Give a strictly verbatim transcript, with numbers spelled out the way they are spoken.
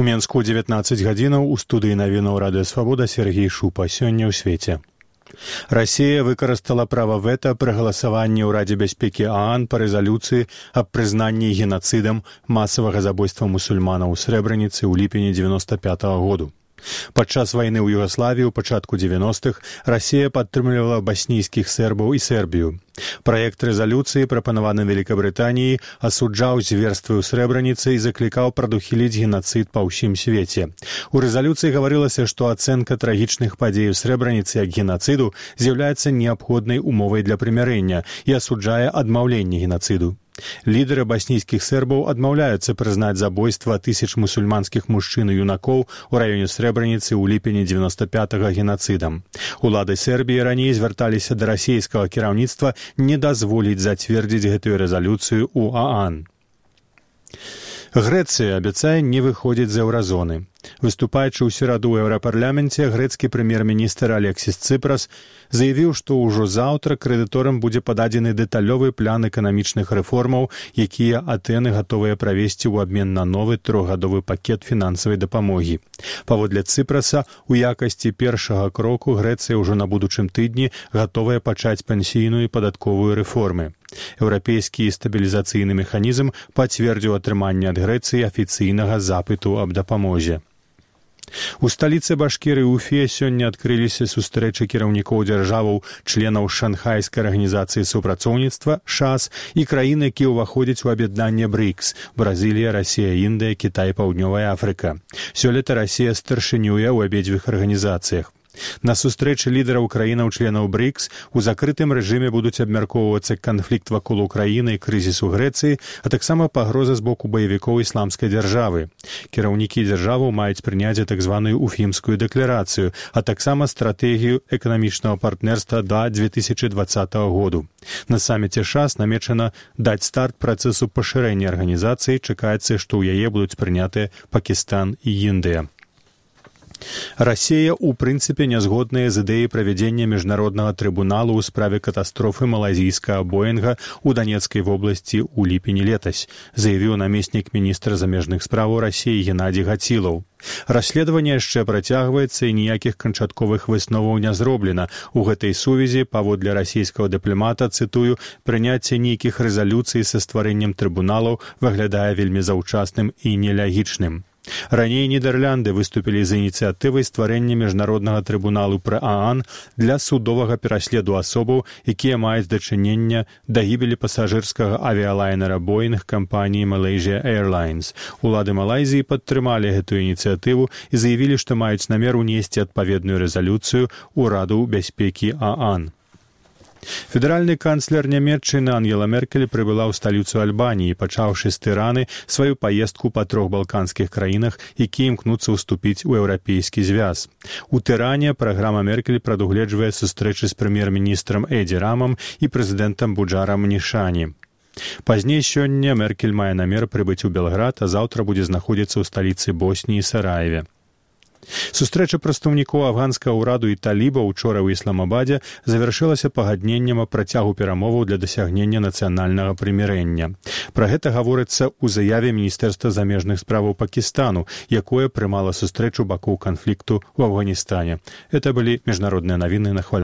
Менску дзевятнаццаць гадзінаў у студыі навінаў Радыё Свабода Сергей Шупа. Сёння ў свеце. Расія выкарыстала права вэта пры галасаванні ў Радзе бяспекі ААН па рэзалюцыі аб прызнанні генацыдам масавага забойства мусульманаў у Срэбраніцы ў ліпені дзевяноста пятага году. Падчас вайны ў Югаславіі ў пачатку дзевяностых Расія падтрымлівала баснійскіх сербаў і Сербію. Праект рэзалюцыі, прапанаваны Великабрытаніяй, асуджаў зверствы ў Срэбраніцы і заклікаў прадухіліць генацыд па ўсім свеце. У рэзалюцыі гаварылася, што ацэнка трагічных падзей у Срэбраніцы як генацыду з'яўляецца неабходнай умовай для прымірэння і асуджае адмаўленне генацыду. Лідары баснійскіх сербаў адмаўляюцца прызнаць забойства тысяч мусульманскіх мужчын і юнакоў у раёне Срэбраніцы ў ліпені дзевяноста пятага генацыдам. Улады Сербіі раней звярталіся да расійскага кіраўніцтва не дазволіць зацвердзіць гэтую рэзалюцыю ў ААН. Грэцыя абяцае не выходзіць з еўразоны. Выступаючы ў сераду ў еўрапарламенце, грэцкі прэм'ер-міністр Алексіс Цыпрас заявіў, што ўжо заўтра крэдыторам будзе пададзены дэталёвы план эканамічных рэформаў, якія Атэны гатовыя правесці ў абмен на новы трохгадовы пакет фінансавай дапамогі. Паводле Цыпраса, у якасці першага кроку Грэцыя ўжо на будучым тыдні гатовая пачаць пенсійную і падатковую рэформы. Еўрапейскі стабілізацыйны механізм пацвердзіў атрыманне ад Грэцыі афіцыйнага запыту аб дапамозе. У сталіцы Башкірыі Уфе сёння адкрыліся сустрэчы кіраўнікоў дзяржаваў, членаў Шанхайскай арганізацыі супрацоўніцтва ШАС і краін, якія ўваходзяць у аб'яднанне брикс – Бразілія, Расія, Індыя, Кітай, Паўднёвая Афрыка. Сёлета Расія старшынюе ў абедзвюх арганізацыях. На сустрэчы лідараў краінаў-членаў брикс у закрытым рэжыме будуць абмяркоўвацца канфлікт вакол Украіны і крызіс у Грэцыі, а таксама пагроза з боку баевікоў ісламскай дзяржавы. Кіраўнікі дзяржаваў маюць прыняць так званую Уфімскую дэкларацыю, а таксама стратэгію эканамічнага партнерства да дзве тысячы дваццатага году. На саміце ШАС намечана даць старт працэсу пашырэння арганізацыі, чакаецца, што ў яе будуць прынятыя Пакістан і Індыя. Расія, у прынцыпе, не згодная з ідэяй правядзення міжнароднага трыбуналу ў справе катастрофы малайзійскага Боінга ў Данецкай вобласці ў ліпені летась, заявіў намеснік міністра замежных спраў Расіі Геннадзій Гацілаў. Расследаванне яшчэ працягваецца і ніякіх канчатковых высноваў не зроблена. У гэтай сувязі, паводле расійскага дыпламата, цытую, прыняцце нейкіх рэзалюцый са стварэннем трыбуналаў выглядае вельмі заўчасным і нелягічным. Раней Нідерланды выступілі з ініцыятывай стварэння міжнароднага трыбуналу пры ААН для судовага пераследу асобаў, якія маюць дачынення да гібелі пасажырскага авіялайнера Боінг кампаніі Malaysia Airlines. Улады Малайзіі падтрымалі гэтую ініцыятыву і заявілі, што маюць намер унесці адпаведную рэзалюцыю ў Раду бяспекі ААН. Федэральны канцлер Нямецчыны Ангела Меркель прыбыла ў сталіцу Альбаніі, пачаўшы з Тыраны сваю паездку па трох балканскіх краінах, якія імкнуцца ўступіць у еўрапейскі звяз. У Тыране праграма Меркель прадугледжвае сустрэчы з прэм'ер-міністрам Эдзі Рамам і прэзідэнтам Буджарам Нішані. Пазней сёння Меркель мае намер прыбыць у Белград, а заўтра будзе знаходзіцца ў сталіцы Босніі Сараеве. Сустрэча прадстаўнікоў афганскага ўраду і талібаў учора ў Ісламабадзе завяршылася пагадненнем аб працягу перамоваў для дасягнення нацыянальнага прымірэння. Пра гэта гаворыцца ў заяве Міністэрства замежных справаў Пакістану, якое прымала сустрэчу бакоў канфлікту ў Афганістане. Это былі міжнародныя навіны на хвалю.